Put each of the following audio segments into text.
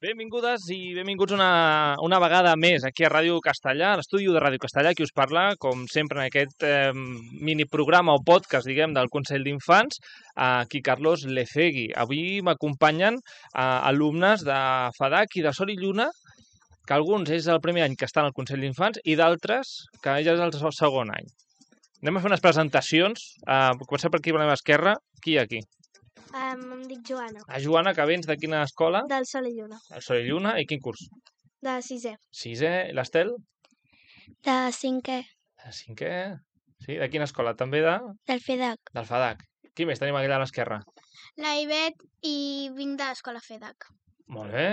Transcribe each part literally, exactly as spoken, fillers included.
Benvingudes i benvinguts una, una vegada més aquí a Ràdio Castellà, a l'estudi de Ràdio Castellà, qui us parla, com sempre, en aquest eh, miniprograma o podcast, diguem, del Consell d'Infants, aquí Carlos Lecegui. Avui m'acompanyen eh, alumnes de FADAC i de Sol i Lluna, que alguns és el primer any que estan al Consell d'Infants i d'altres que ja és el segon any. Anem a fer unes presentacions. Uh, comencem per aquí, per l'esquerra. Qui hi ha aquí? Um, em dic Joana. Ah, Joana, que vens de quina escola? Del Sol i Lluna. El Sol i Lluna. I quin curs? De sisè. Sisè. L'Estel? De cinquè. De cinquè. Sí, de quina escola? També de? Del FEDAC. Del FADAC. Qui més tenim allà a l'esquerra? La Ivet i vinc de l'escola FEDAC. Molt bé.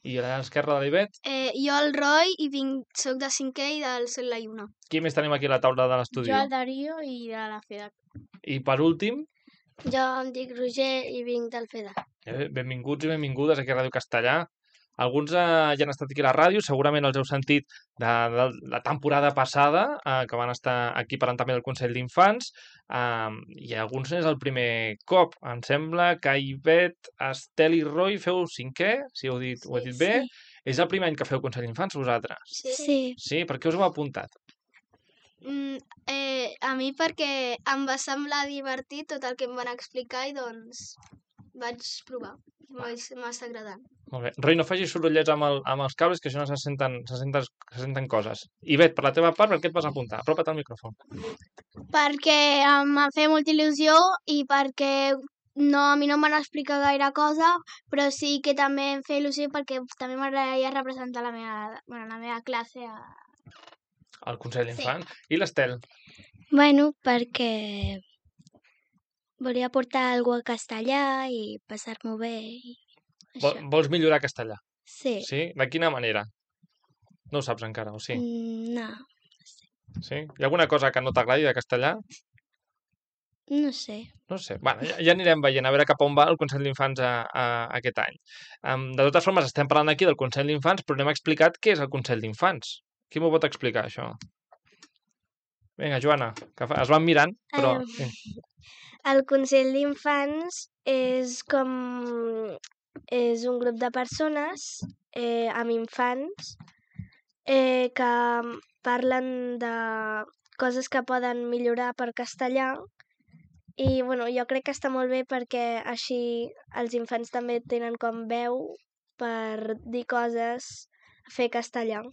I a l'esquerra de l'Ivet? Eh, jo el Roy i vinc, soc de cinquè i del Sol i la Lluna. Qui més tenim aquí a la taula de l'estudi? Jo el Darío i de la FEDAC. I per últim? Jo em dic Roger i vinc del FEDAC. Eh, benvinguts i benvingudes aquí a Ràdio Castellà. Alguns eh, ja han estat aquí a la ràdio, segurament els heu sentit de, de la temporada passada, eh, que van estar aquí parlant també del Consell d'Infants, eh, i alguns és el primer cop. Em sembla que Ivet, Estel i Roy feu cinquè, si heu dit, ho he dit bé. Sí. És el primer any que feu Consell d'Infants, vosaltres? Sí. Sí. Sí? Per què us heu apuntat? Mm, eh, a mi perquè em va semblar divertit tot el que em van explicar i doncs vaig provar. M'està agradant. Molt bé. Roy, no facis sorollets amb, el, amb els cables, que això no se senten, se senten, se senten coses. Ivet, per la teva part, per què et vas apuntar? Apropa't al micròfon. Perquè em va fer molta il·lusió i perquè no, a mi no em van explicar gaire cosa, però sí que també em feia il·lusió perquè també m'agradaria representar la meva, bueno, la meva classe a... al Consell d'Infants. Sí. I l'Estel? Bueno, perquè volia portar alguna cosa a castellà i passar-m'ho bé i Vol, això. vols millorar castellà? Sí. Sí? De quina manera? No ho saps encara, o sí? Mm, no. Sí? Hi ha alguna cosa que no t'agradi de castellà? No sé. No sé. Bueno, ja, ja anirem veient a veure cap on va el Consell d'Infants a, a, a aquest any. Um, de totes formes, estem parlant aquí del Consell d'Infants, però no hem explicat què és el Consell d'Infants. Qui m'ho pot explicar, això? Vinga, Joana, que fa... es van mirant, però... Um, el Consell d'Infants és com... és un grup de persones eh, amb infants eh, que parlen de coses que poden millorar per castellà i bueno, jo crec que està molt bé perquè així els infants també tenen com veu per dir coses, fer castellà.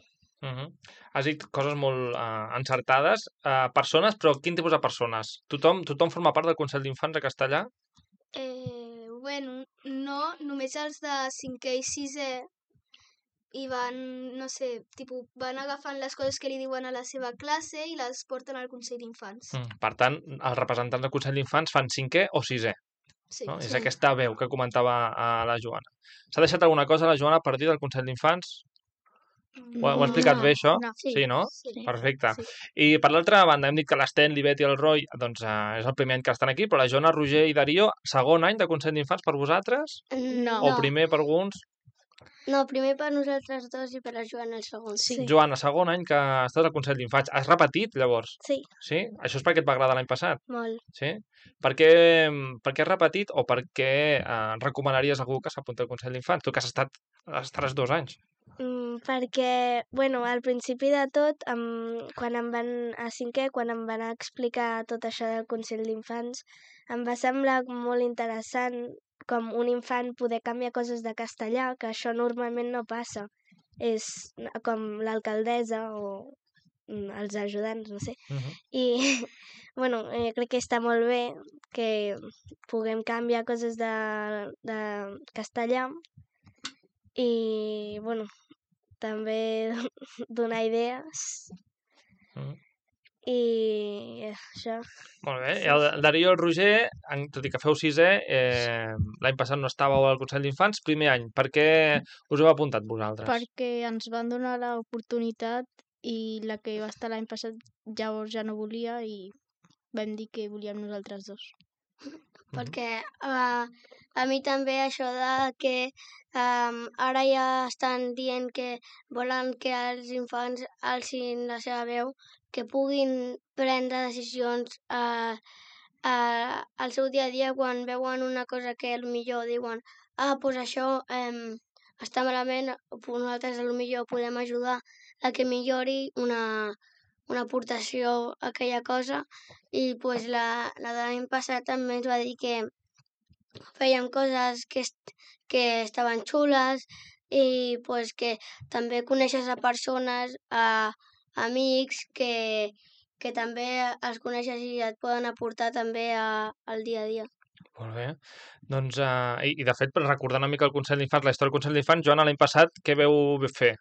Uh -huh. Has dit coses molt uh, encertades. Uh, persones, però quin tipus de persones? Tothom, tothom forma part del Consell d'Infants a castellà? Eh, bueno, no, només els de cinquè i sisè i van, no sé, tipus, van agafant les coses que li diuen a la seva classe i les porten al Consell d'Infants. Mm. Per tant, els representants del Consell d'Infants fan cinquè o sisè. Sí, No? sí. És aquesta veu que comentava a la Joana. S'ha deixat alguna cosa la Joana per dir del Consell d'Infants? Ho, ho he explicat no, bé, això? No, sí, sí, no? Sí. Perfecte. Sí. I per l'altra banda, hem dit que l'Sten, l'Ivet i el Roy, doncs eh, és el primer any que estan aquí, però la Joana, Roger i Darío, segon any de Consell d'Infants per vosaltres? No. O primer per alguns? No, primer per nosaltres dos i per la Joana el segon. Sí. Joana, segon any que estàs al Consell d'Infants. Has repetit, llavors? Sí. Sí? Això és perquè et va agradar l'any passat? Molt. Sí? Per què, per què has repetit o per què eh, recomanaries a algú que s'apunti al Consell d'Infants? Tu que has estat estaràs dos anys. Mm, perquè, bueno, al principi de tot, em, quan em van, a cinquè, quan em van explicar tot això del Consell d'Infants, em va semblar molt interessant com un infant poder canviar coses de castellà, que això normalment no passa. És com l'alcaldessa o els ajudants, no sé. Uh -huh. I, bueno, eh, crec que està molt bé que puguem canviar coses de, de castellà i, bueno, també donar idees Uh -huh. i això. Molt bé. I el Darío i el Roger, tot i que feu sisè, eh, l'any passat no estàveu al Consell d'Infants, primer any. Per què us heu apuntat vosaltres? Perquè ens van donar l'oportunitat i la que va estar l'any passat llavors ja no volia i vam dir que volíem nosaltres dos. Perquè uh, a mi també això de que um, ara ja estan dient que volen que els infants alcin la seva veu, que puguin prendre decisions uh, uh, al seu dia a dia quan veuen una cosa que potser diuen ah, doncs això um, està malament, nosaltres potser podem ajudar a que millori una, una aportació a aquella cosa, i pues, la, la de l'any passat també ens va dir que fèiem coses que, est que estaven xules, i pues, que també coneixes a persones, a amics que, que també els coneixes i et poden aportar també a, al dia a dia. Molt bé. Doncs, uh, i, i de fet, per recordar una mica el Consell d'Infants, la història del Consell d'Infants, Joana, l'any passat, què veu fer?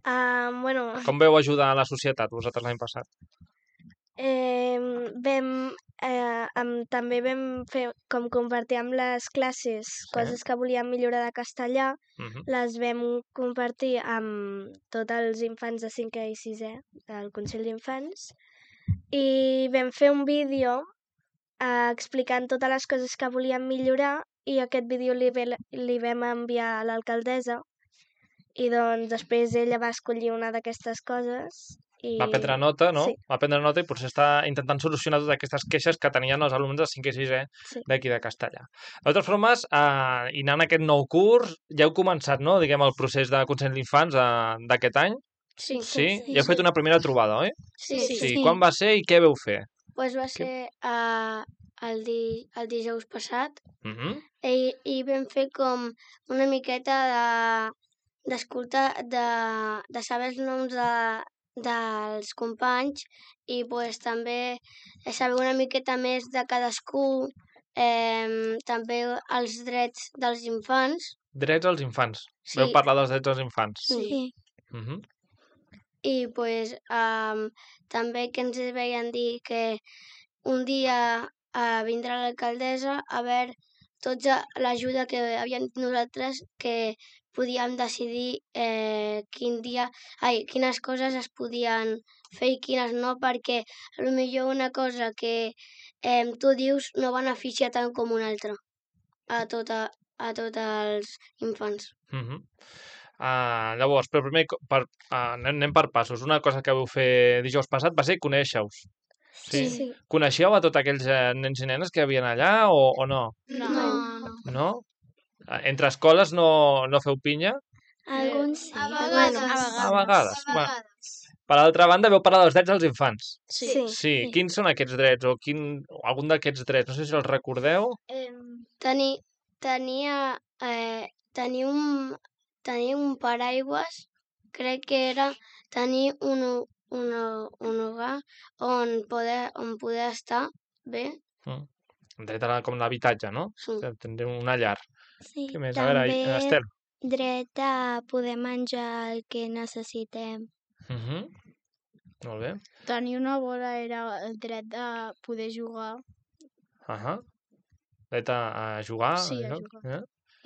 Uh, bueno, Com veu ajudar a la societat, vosaltres, l'any passat? eh, vam, eh, amb, també vam fer com compartir amb les classes Sí. coses que volíem millorar de castellà, Uh -huh. les vam compartir amb tots els infants de cinquè i sisè del Consell d'Infants, i vam fer un vídeo eh, explicant totes les coses que volíem millorar, i aquest vídeo li, ve, li vam enviar a l'alcaldessa, i doncs després ella va escollir una d'aquestes coses. I... Va prendre nota, no? Sí. Va prendre nota i potser està intentant solucionar totes aquestes queixes que tenien els alumnes de cinquè i sisè Sí. d'aquí de Castellà. De totes formes, eh, i anant a aquest nou curs, ja heu començat, no?, diguem, el procés de Consell d'Infants eh, d'aquest any? Sí. Sí? Ja heu fet una primera trobada, oi? Sí, Sí. Sí. Quan va ser i què veu fer? Pues va ser uh, el, di el dijous passat, Uh -huh. i, i vam fer com una miqueta de d'escoltar, de, de saber els noms de, dels companys, i pues, també saber una miqueta més de cadascú, eh, també els drets dels infants. Drets als infants. Sí. Veu parlar dels drets als infants. Sí. Uh -huh. I pues, um, també que ens veien dir que un dia uh, vindrà l'alcaldessa a veure tota l'ajuda que havíem nosaltres, que podíem decidir eh, quin dia, ai, quines coses es podien fer i quines no, perquè potser una cosa que eh, tu dius no beneficia tant com una altra a, tota, a tots els infants. Uh -huh. uh, llavors, però primer, per, uh, anem, anem per passos. Una cosa que vau fer dijous passat va ser conèixer-us. Sí? Sí. Coneixeu a tots aquells eh, nens i nenes que hi havia allà o, o no? No. No. no. No? Eh, Entre escoles no, no feu pinya? Alguns sí. A alguns. vegades. A vegades. A Bueno, vegades. per altra banda, veu parlar dels drets dels infants. Sí. Sí. Sí. Quins són aquests drets o quin, o algun d'aquests drets? No sé si els recordeu. Em, Teni, tenia, eh, tenir, un, tenir un paraigües, crec que era tenir un, un, un hogar on poder, on poder estar bé. Mm. Dret a la, com l'habitatge, no? Sí. Tindrem una llar. Sí. Què més? A veure, També Estel. dret a poder menjar el que necessitem. Uh -huh. Molt bé. tenir una bola era el dret de poder jugar. Uh -huh. Dret a, a jugar. Sí, a no? jugar. Eh?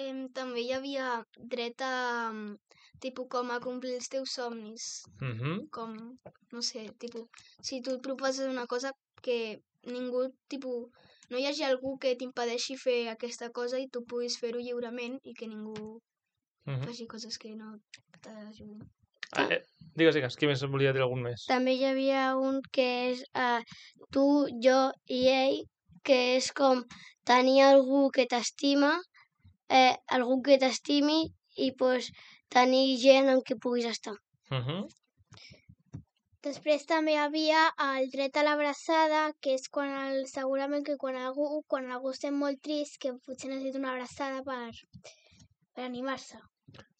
Em, també hi havia dret a, mm, tipus, com a complir els teus somnis. Uh -huh. Com, no sé, tipus, si tu et proposes una cosa que ningú, tipus, no hi hagi algú que t'impedeixi fer aquesta cosa i tu puguis fer-ho lliurement i que ningú Uh -huh. faci coses que no t'ajudin. Ah, eh, digues, digues, qui més volia dir algun més? També hi havia un que és eh, tu, jo i ell, que és com tenir algú que t'estima, eh, algú que t'estimi, i pues, tenir gent amb qui puguis estar. Uh -huh. Després també hi havia el dret a l'abraçada, que és quan el, segurament que quan algú, quan algú estem molt trist, que potser necessita una abraçada per, per animar-se.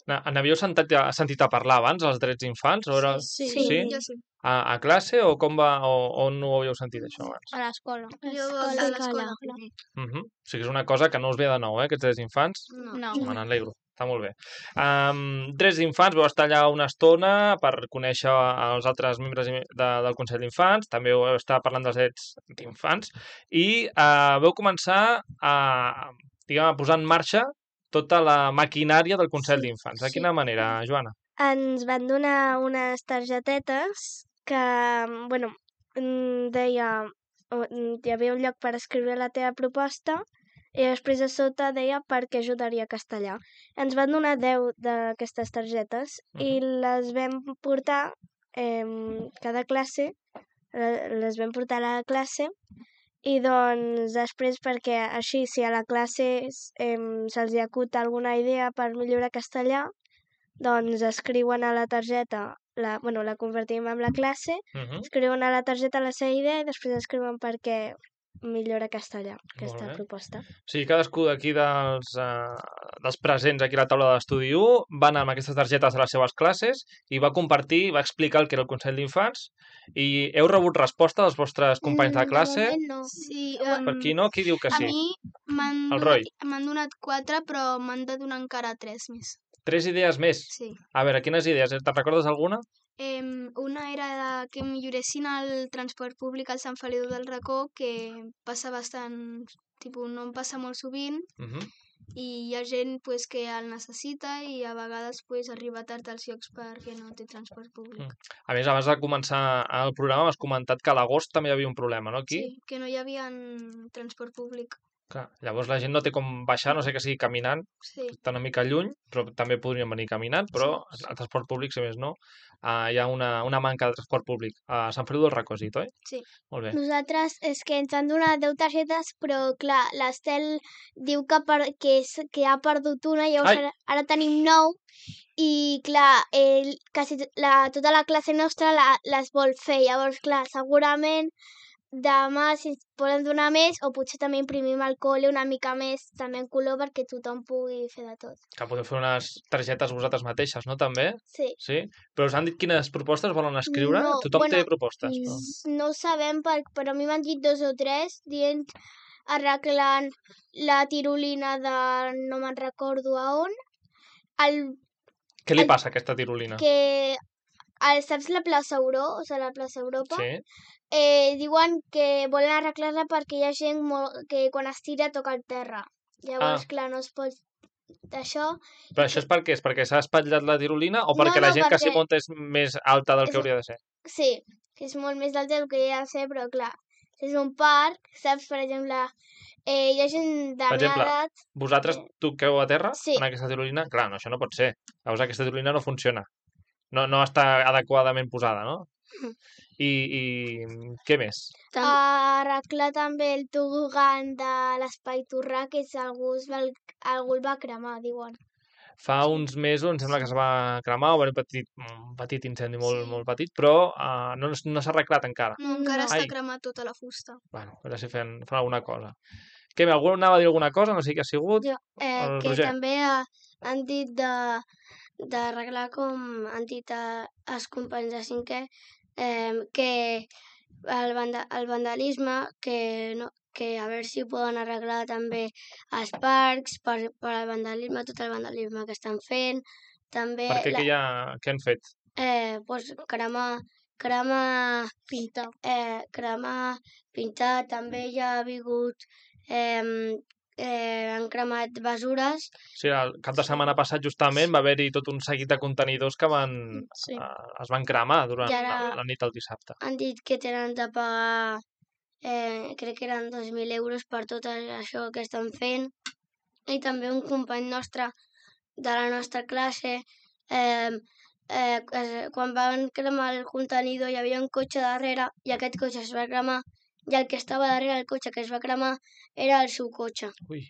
Na- N'havíeu sentit, a- sentit a parlar abans, els drets d'infants? O era... Sí. Sí? Jo sí. A, a classe o com va, o on no ho havíeu sentit, això, abans? A l'escola. Jo Escola, de l'escola. escola. primer. Uh -huh. O sigui que és una cosa que no us ve de nou, eh, aquests drets d'infants. No. No. Me n'alegro, està molt bé. Um, drets d'infants, vau estar allà una estona per conèixer els altres membres de, del Consell d'Infants, també vau estar parlant dels drets d'infants, i uh, vau començar a, diguem, a posar en marxa tota la maquinària del Consell Sí, d'Infants. De sí. quina manera, Joana? Ens van donar unes targetetes que, bueno, mm, deia, o- mm, hi havia un lloc per escriure la teva proposta, i després a sota deia per què ajudaria castellà. Ens van donar deu d'aquestes targetes i les vam portar, eh, cada classe, le- les vam portar a la classe, I doncs després perquè així si a la classe eh, se'ls acut alguna idea per millorar castellà, doncs escriuen a la targeta, la, bueno, la convertim en la classe, Uh -huh. escriuen a la targeta la seva idea i després escriuen per què millora castellà, aquesta bé. proposta. O sigui, cadascú d'aquí dels, uh, dels presents aquí a la taula de l'estudi u va anar amb aquestes targetes a les seves classes i va compartir, va explicar el que era el Consell d'Infants i heu rebut resposta dels vostres companys de classe? De moment no. Sí, Per um, qui no? Qui diu que a sí? mi m'han El donat, Roy. m'han donat quatre, però m'han de donar encara tres més. Tres idees més? Sí. A veure, quines idees? Te'n recordes alguna? Em, una era de que milloressin el transport públic al Sant Feliu del Racó, que passa bastant, tipus, no em passa molt sovint, Uh -huh. i hi ha gent pues, que el necessita i a vegades pues, arriba tard als llocs perquè no té transport públic. Mm. A més, abans de començar el programa m'has comentat que a l'agost també hi havia un problema, no, aquí? Sí, que no hi havia transport públic. Clar, llavors la gent no té com baixar, no sé que sigui caminant, Sí. està una mica lluny, però també podrien venir caminant, però Sí, sí. el transport públic, si més no, uh, hi ha una, una manca de transport públic. A Sant Feliu del Racó, has dit, oi? Sí. Molt bé. Nosaltres és que ens han donat deu targetes, però clar, l'Estel diu que, per, que, és, que ha perdut una, llavors Ai! ara, ara tenim nou, i clar, ell, quasi to- la, tota la classe nostra la, les vol fer, llavors clar, segurament demà si ens poden donar més, o potser també imprimim al col·le una mica més, també en color, perquè tothom pugui fer de tot. Que podeu fer unes targetes vosaltres mateixes, no, també? Sí. Sí? Però us han dit quines propostes volen escriure? No, Tothom bueno, té propostes, però... Mm, No ho sabem, per, però a mi m'han dit dos o tres, dient arreglant la tirolina de no me'n recordo a on, el, Què li el- passa a aquesta tirolina? que el, saps la plaça Euro, o sigui, la plaça Europa? Sí? Eh, diuen que volen arreglar-la perquè hi ha gent molt, que quan es tira toca el terra. Llavors, Ah. clar, no es pot d'això. Però això és per què? És perquè s'ha espatllat la tirolina o perquè No, la no, gent que s'hi perquè- munta és més alta del És que un- hauria de ser? Sí, que és molt més alta del que hi ha de ser, però clar, és un parc, saps? Per exemple, eh, hi ha gent de Per meva exemple, edat. Vosaltres toqueu a terra Sí. en aquesta tirolina? Clar, no, això no pot ser. Llavors aquesta tirolina no funciona. No, no està adequadament posada, no? I, i què més? Tam Arreglar també el tobogan de l'Espai Torrà, que és algú, es va, algú el va cremar, diuen. Fa uns mesos em sembla que es va cremar, o va haver un petit, un petit incendi molt, Sí. molt petit, però uh, no, no s'ha arreglat encara. No, encara No. està Ai. cremat tota la fusta. Bueno, a veure si fan, fan alguna cosa. Què, algú anava a dir alguna cosa? No sé qui ha sigut. jo, eh, El que Roger. també ha, han dit de d'arreglar com han dit a, els companys de cinquè eh, que el, vanda, el vandalisme que, no, que a veure si ho poden arreglar també als parcs per, per al vandalisme, tot el vandalisme que estan fent. També Per què, la, que ja, què han fet? eh, pues, cremar, cremar, Pintar. eh, cremar, pintar, també hi ha hagut eh, eh, han cremat besures. O sigui, el cap de setmana passat justament va haver-hi tot un seguit de contenidors que van, Sí. uh, es van cremar durant I ara- la, la nit del dissabte. Han dit que tenen de pagar, eh, crec que eren dos mil euros per tot això que estan fent. I també un company nostre de la nostra classe, eh, eh, es- quan van cremar el contenidor hi havia un cotxe darrere i aquest cotxe es va cremar i el que estava darrere del cotxe que es va cremar era el seu cotxe. Ui,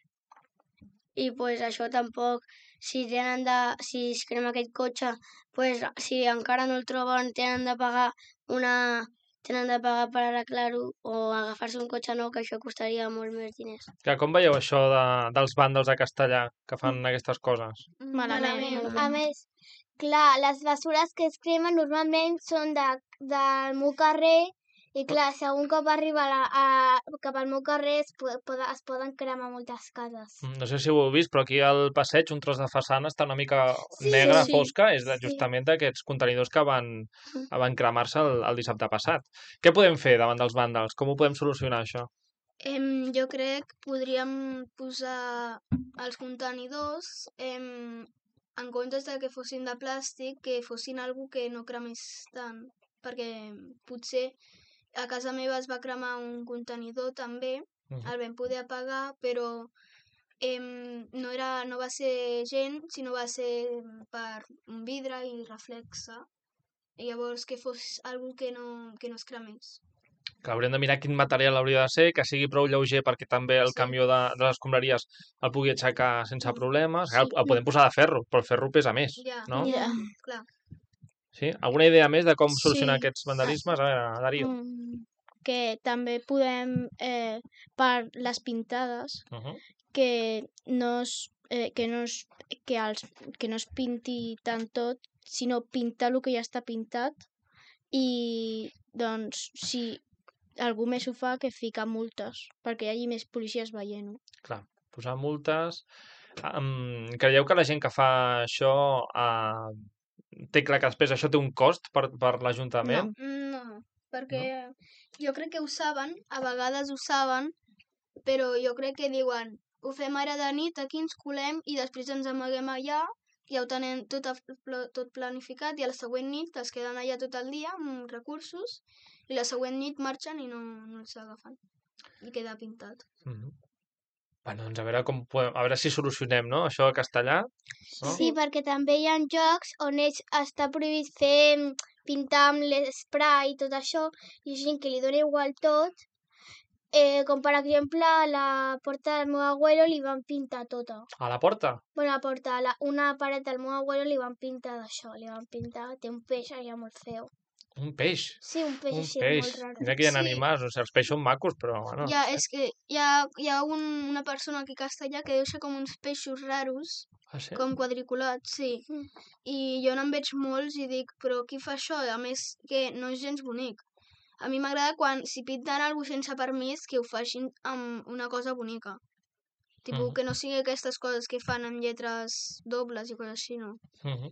I pues això tampoc, si tenen de, si es crema aquest cotxe, pues si encara no el troben tenen de pagar una tenen de pagar per arreglar-ho o agafar-se un cotxe nou, que això costaria molt més diners. que com veieu això de, dels vàndals a Castellà que fan aquestes coses? Malament. A més, clar, les bessures que es cremen normalment són de, del meu carrer i clar, si algun cop arriba a la, a, cap al meu carrer es, po poden, es poden cremar moltes cases. Mm, No sé si ho heu vist, però aquí al passeig un tros de façana està una mica Sí, negra, sí. fosca, és de, Sí. justament d'aquests contenidors que van, van cremar-se el, el dissabte passat. Què podem fer davant dels vàndals? Com ho podem solucionar, això? Em, jo crec que podríem posar els contenidors em, en comptes de que fossin de plàstic, que fossin algo que no cremés tant, perquè potser a casa meva es va cremar un contenidor també, Mhm. el vam poder apagar, però em, no, era, no va ser gent, sinó va ser per un vidre i reflexa. I llavors que fos algo que no, que no es cremés. Que haurem de mirar quin material hauria de ser, que sigui prou lleuger perquè també el Sí. camió de, de les escombraries el pugui aixecar sense Mm. problemes. Sí. El, el podem posar de ferro, però el ferro pesa més, Ja, no? ja, clar. Sí? Alguna idea més de com Sí. solucionar aquests vandalismes? A veure, Darío. Mm, que també podem, eh, per les pintades, Uh -huh. que no es, eh, que no es, que, els, que no es pinti tant tot, sinó pintar el que ja està pintat i, doncs, si algú més ho fa, que fica multes, perquè hi hagi més policies veient-ho. Clar, posar multes... Um, creieu que la gent que fa això uh, té clar que després això té un cost per, per l'Ajuntament? No, perquè jo crec que ho saben, a vegades ho saben, però jo crec que diuen ho fem ara de nit, aquí ens colem i després ens amaguem allà, ja ho tenen tot, a, tot planificat i a la següent nit es queden allà tot el dia amb recursos i la següent nit marxen i no, no els agafen. I queda pintat. Uh -huh. Bueno, doncs a veure, com podem, a veure si solucionem, no?, això a Castellà. No? Sí, perquè també hi ha jocs on és, està prohibit fer pintar amb l'esprai i tot això, i gent que li dona igual tot, eh, com per exemple a la porta del meu abuelo li van pintar tota. A la porta? Bueno, a la porta, a la, una paret del meu abuelo li van pintar d'això, li van pintar, té un peix allà molt feo. Un peix? Sí, un peix Un així peix. molt raro. Mira que hi ha Sí. animals, o sigui, els peixos són macos, però bueno... Ja, no sé. és que hi ha, hi ha un, una persona aquí a Castellà que deixa com uns peixos raros, Ah, sí? com quadriculats, sí. Mm. I jo n'en veig molts i dic, però qui fa això? A més, que no és gens bonic. A mi m'agrada quan, si pinten alguna cosa sense permís, que ho facin amb una cosa bonica. Tipo, Mhm. que no sigui aquestes coses que fan amb lletres dobles i coses així, no. Uh -huh.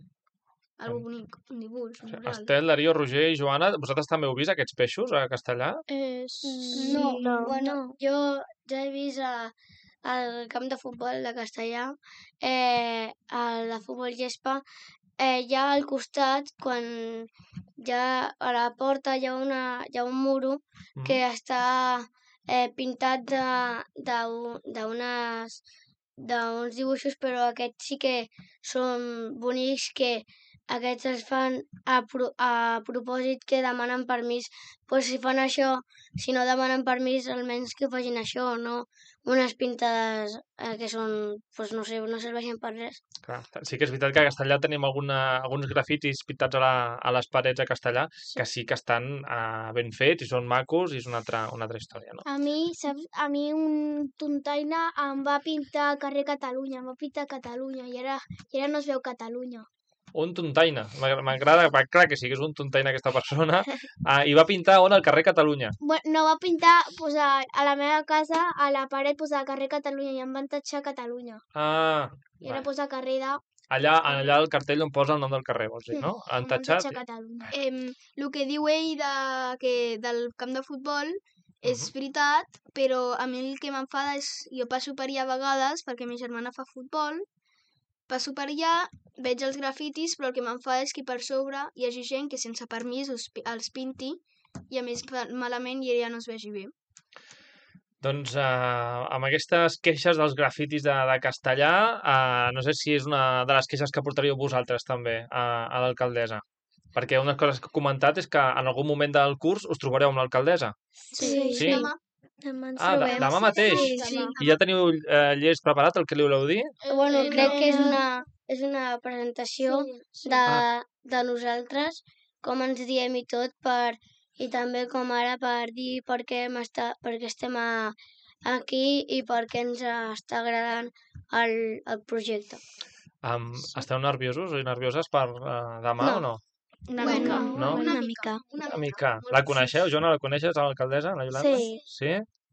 Algo bonic, un dibuix, un mural. Estel, Darío, Roger i Joana, vosaltres també heu vist aquests peixos a Castellà? Eh, sí. No, no. bueno, jo ja he vist a, al camp de futbol de Castellà, eh, a la futbol gespa, eh, ja al costat, quan ja a la porta hi ha, una, hi ha un muro Mhm. que està eh, pintat de- de- d'unes d'uns dibuixos, però aquests sí que són bonics, que aquests es fan a, pro, a propòsit que demanen permís. Pues si fan això, si no demanen permís, almenys que facin això, no unes pintades eh, que són, pues no sé, no serveixen per res. Clar, sí que és veritat que a Castellà tenim alguna, alguns grafitis pintats a, la, a les parets a Castellà que sí que estan uh, ben fets i són macos i és una altra, una altra història, no? A mi, saps, a mi un tontaina em va pintar al carrer Catalunya, em va pintar Catalunya i ara, i ara no es veu Catalunya. Un tontaina. M'agra- M'agrada, va, clar que sí que és un tontaina aquesta persona. Uh, I va pintar on? Al carrer Catalunya. Bueno, no va pintar pues, a, a la meva casa, a la paret, pues, al carrer Catalunya i em van tatxar Catalunya. Ah, I ara va. pues, al carrer de... allà, allà al cartell on posa el nom del carrer, vols dir, no? Han em van tatxat. tatxar Catalunya. Eh, el que diu ell de, que del camp de futbol és veritat, però a mi el que m'enfada és... Jo passo per allà a vegades, perquè ma germana fa futbol, passo per allà, veig els grafitis, però el que m'enfada és que per sobre hi hagi gent que sense permís els, pi- els pinti i a més fa malament i ella no es vegi bé. Doncs uh, amb aquestes queixes dels grafitis de, de Castellà, uh, no sé si és una de les queixes que portaríeu vosaltres també a, a l'alcaldessa. Perquè unes coses que he comentat és que en algun moment del curs us trobareu amb l'alcaldessa. Sí. Sí? Demà, Demà ens Ah, de, trobem. demà mateix? Sí, Sí. demà. I ja teniu eh, llest preparat el que li voleu dir? Bueno, Eh, crec que és no. una, és una presentació Sí. de, Ah. de nosaltres, com ens diem i tot, per, i també com ara per dir per què, hem esta, per què estem a, aquí i per què ens està agradant el, el projecte. Um, esteu nerviosos o nervioses per uh, demà No. o no? Una Bueno, mica. No? Una mica. una Una mica. mica. La coneixeu, Joana? La coneixes, l'alcaldessa, la Yolanda? Sí. Sí?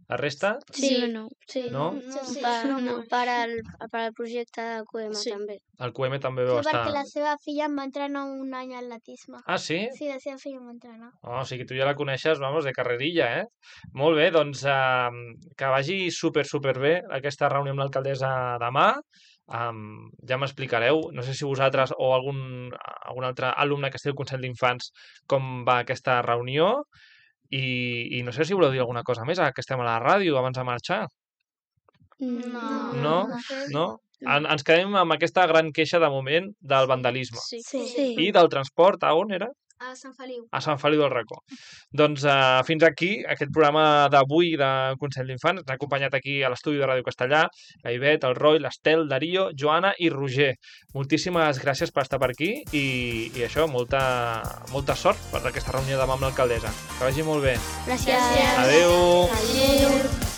La resta? Sí o no? Sí. No? No, Sí, Per, no. per, al, per al projecte de Q M Sí. també. El Q M també Sí, veu perquè estar... la seva filla em va entrenar un any a atletisme. Ah, sí? Sí, la seva filla em va entrenar. Oh, o sigui, tu ja la coneixes, vamos, de carrerilla, eh? Molt bé, doncs uh, que vagi super, super bé aquesta reunió amb l'alcaldessa demà. Um, ja m'explicareu, no sé si vosaltres o algun, algun altre alumne que esteu al Consell d'Infants com va aquesta reunió i, i no sé si voleu dir alguna cosa més, ara que estem a la ràdio, abans de marxar. No. No? No? En, ens quedem amb aquesta gran queixa de moment del vandalisme. Sí. Sí. I del transport, a on era? A Sant Feliu. A Sant Feliu del Racó. Doncs uh, fins aquí aquest programa d'avui de Consell d'Infants. Ens ha acompanyat aquí a l'estudi de Ràdio Castellà la Ivet, el Roy, l'Estel, Darío, Joana i Roger. Moltíssimes gràcies per estar per aquí i, i això, molta, molta sort per aquesta reunió demà amb l'alcaldessa. Que vagi molt bé. Gràcies. Adéu. Adéu.